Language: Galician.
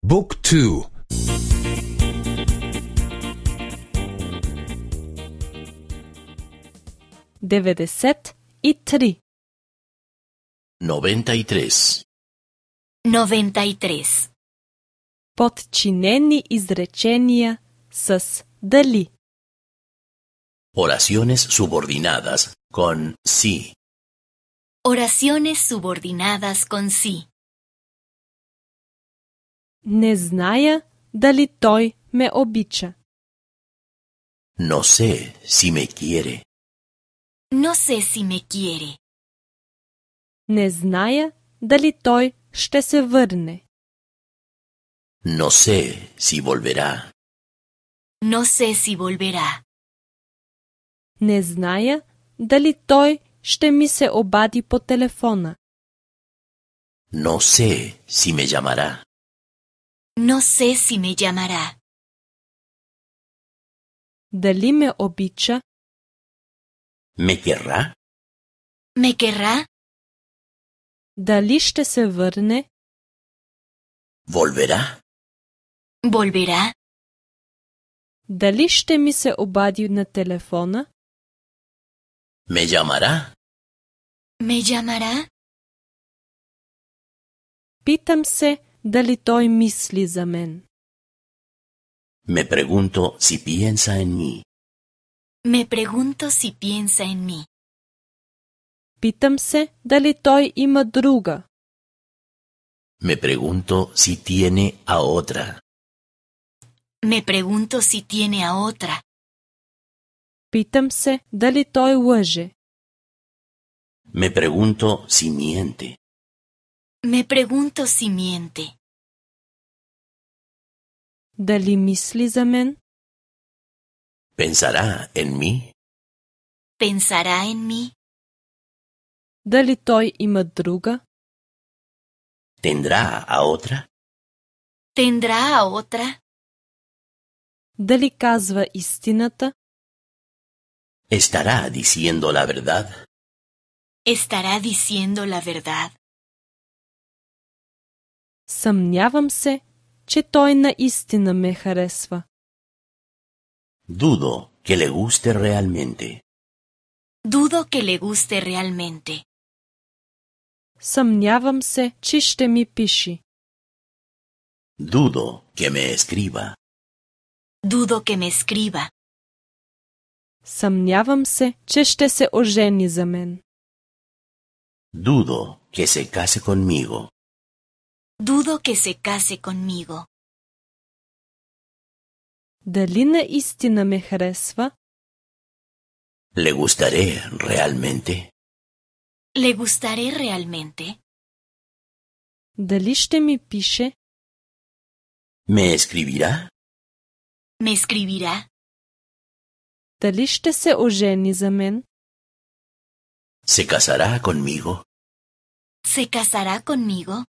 บุ๊กทู93 93. 93. Подчинени изречения с дали. Oraciones subordinadas con sí. Oraciones subordinadas con sí. Не зная дали той ме обича. No sé si me quiere. No sé si me quiere. Не зная дали той ще се върне. No sé si volverá. No sé si volverá. Не зная дали той ще ми се обади по телефона. No sé si me llamará. No sé si me llamará. Дали ме обича? ¿Me querrá? ¿Me querrá? Дали ще се върне? ¿Volverá? ¿Volverá? Дали ще ми се обади на телефона? ¿Me llamará? ¿Me llamará? Питам се дали той мисли за мен. Me pregunto si piensa en mí. Me pregunto si piensa en mí. Питам се дали той има друга. Me pregunto si tiene a otra. Me pregunto si tiene a otra. Питам се дали той лъже. Me pregunto si miente. Me pregunto si miente. Дали мисли за мен? ¿Pensará en mí? ¿Pensará en mí? Дали той има друга? ¿Tendrá a otra? ¿Tendrá a otra? Дали казва истината? ¿Estará diciendo la verdad? ¿Estará diciendo la verdad? Съмнявам се, че той наистина ме харесва. Dudo que le guste realmente. Dudo que le guste realmente. Съмнявам се, че ще ми пише. Dudo que me escriba. Dudo que me escriba. Съмнявам се, че ще се ожени за мен. Dudo que se case conmigo. Dudo que se case conmigo. Дали наистина ме харесва? ¿Le gustaré realmente? ¿Le gustaré realmente? Дали ще ми пише? ¿Me escribirá? ¿Me escribirá? Дали ще се ожени за мен? ¿Se casará conmigo? ¿Se casará conmigo?